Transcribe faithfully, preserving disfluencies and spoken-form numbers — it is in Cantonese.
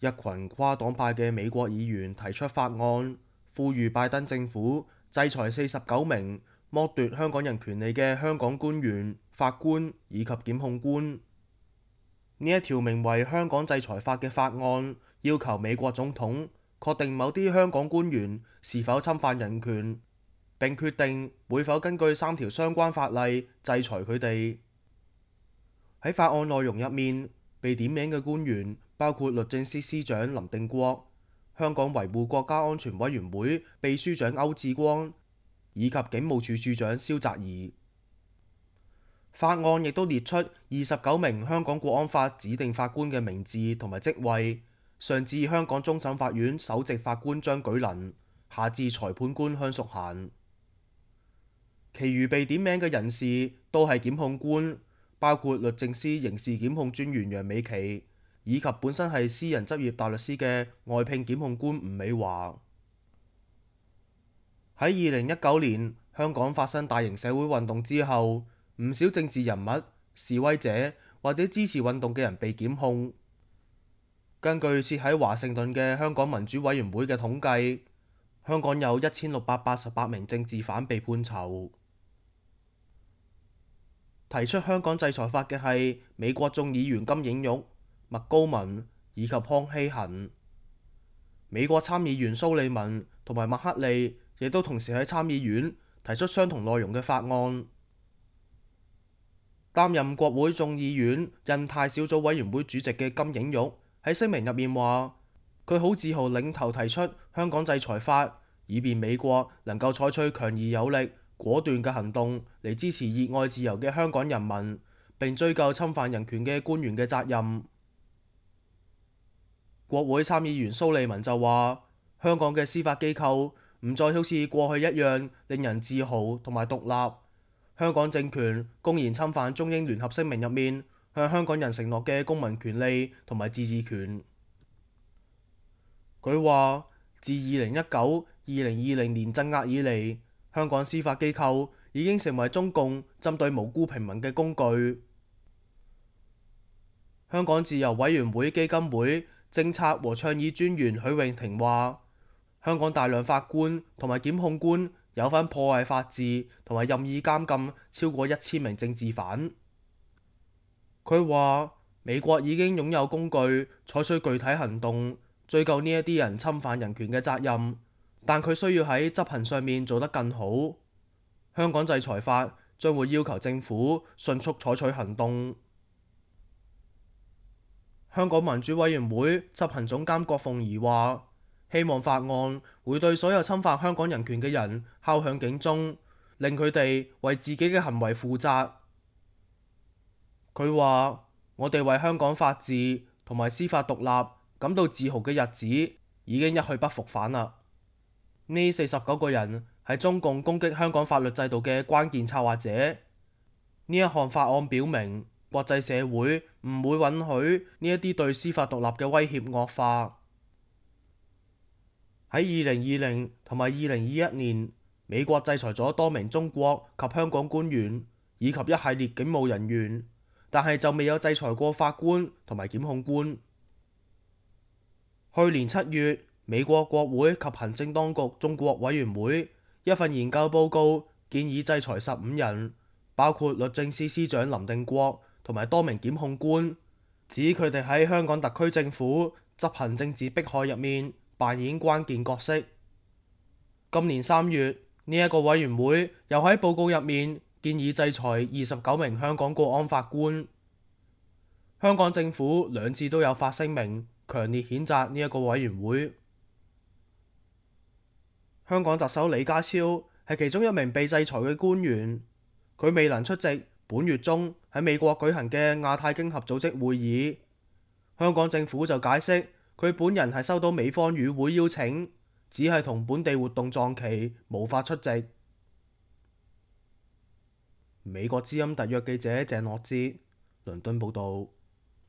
一群跨黨派嘅美國議員提出法案，呼籲拜登政府制裁四十九名剝奪香港人權利嘅香港官員、法官以及檢控官。呢一條名為《香港制裁法》嘅法案，要求美國總統確定某啲香港官員是否侵犯人權，並決定會否根據三條相關法例制裁佢哋。喺法案內容入面，被點名嘅官員包括律政司司長林定國、香港維護國家安全委員會秘書長歐志光以及警務處處長蕭澤頤。法案亦都列出二十九名香港國安法指定法官嘅名字同埋職位，上至香港終審法院首席法官張舉能，下至裁判官香淑嫻。其餘被點名嘅人士都係檢控官，包括律政司刑事檢控專員楊美琪，以及本身係私人執業大律師嘅外聘檢控官吳美華。喺二零一九年香港發生大型社會運動之後，唔少政治人物、示威者或者支持運動嘅人被檢控。根據設喺華盛頓嘅香港民主委員會嘅統計，香港有一千六百八十八名政治犯被判囚。提出香港制裁法嘅係美國眾議員金映玉、麥高文以及康熙恒。美國參議員蘇利文同埋麥克利亦都同時喺參議院提出相同內容嘅法案。擔任國會眾議院印太小組委員會主席嘅金映玉喺聲明入面話，佢好自豪領頭提出香港制裁法，以便美國能夠採取強而有力、果斷嘅行動嚟支持熱愛自由嘅香港人民，並追究侵犯人權嘅官員嘅責任。國會參議員蘇利文就話，香港嘅司法機構唔再好似過去一樣令人自豪同埋獨立。香港政權公然侵犯中英聯合聲明入面向香港人承諾嘅公民權利同埋自治權。佢話，自二零一九、二零二零年鎮壓以嚟，香港司法機構已經成為中共針對無辜平民嘅工具。香港自由委員會基金會政策和倡議專員許永婷話，香港大量法官同埋檢控官有份破壞法治同埋任意監禁超過一千名政治犯。佢話，美國已經擁有工具採取具體行動追究呢一啲人侵犯人權嘅責任，但佢需要喺執行上面做得更好。香港制裁法將會要求政府迅速採取行動。香港民主委員會執行總監郭鳳儀話，希望法案會對所有侵犯香港人權嘅人敲響警鐘，令佢哋為自己嘅行為負責。佢話，我哋為香港法治同埋司法獨立感到自豪嘅日子已經一去不復返啦。呢四十九個人係中共攻擊香港法律制度嘅關鍵策劃者。呢一項法案表明，國際社會唔會允許呢一啲對司法獨立嘅威脅惡化。喺二零二零同埋二零二一年，美國制裁咗多名中國及香港官員以及一系列警務人員，但係就未有制裁過法官同埋檢控官。去年七月，美國國會及行政當局中國委員會一份研究報告建議制裁十五人，包括律政司司長林定國同埋多名檢控官，指佢哋喺香港特區政府執行政治迫害入面扮演關鍵角色。今年三月，呢一個委員會又喺報告入面建議制裁二十九名香港國安法官。香港政府兩次都有發聲明，強烈譴責呢一個委員會。香港特首李家超係其中一名被制裁嘅官員，佢未能出席本月中喺美國舉行嘅亞太經合組織會議。香港政府就解釋，佢本人係收到美方與會邀請，只係同本地活動撞期，無法出席。美國之音特約記者鄭樂之，倫敦報導。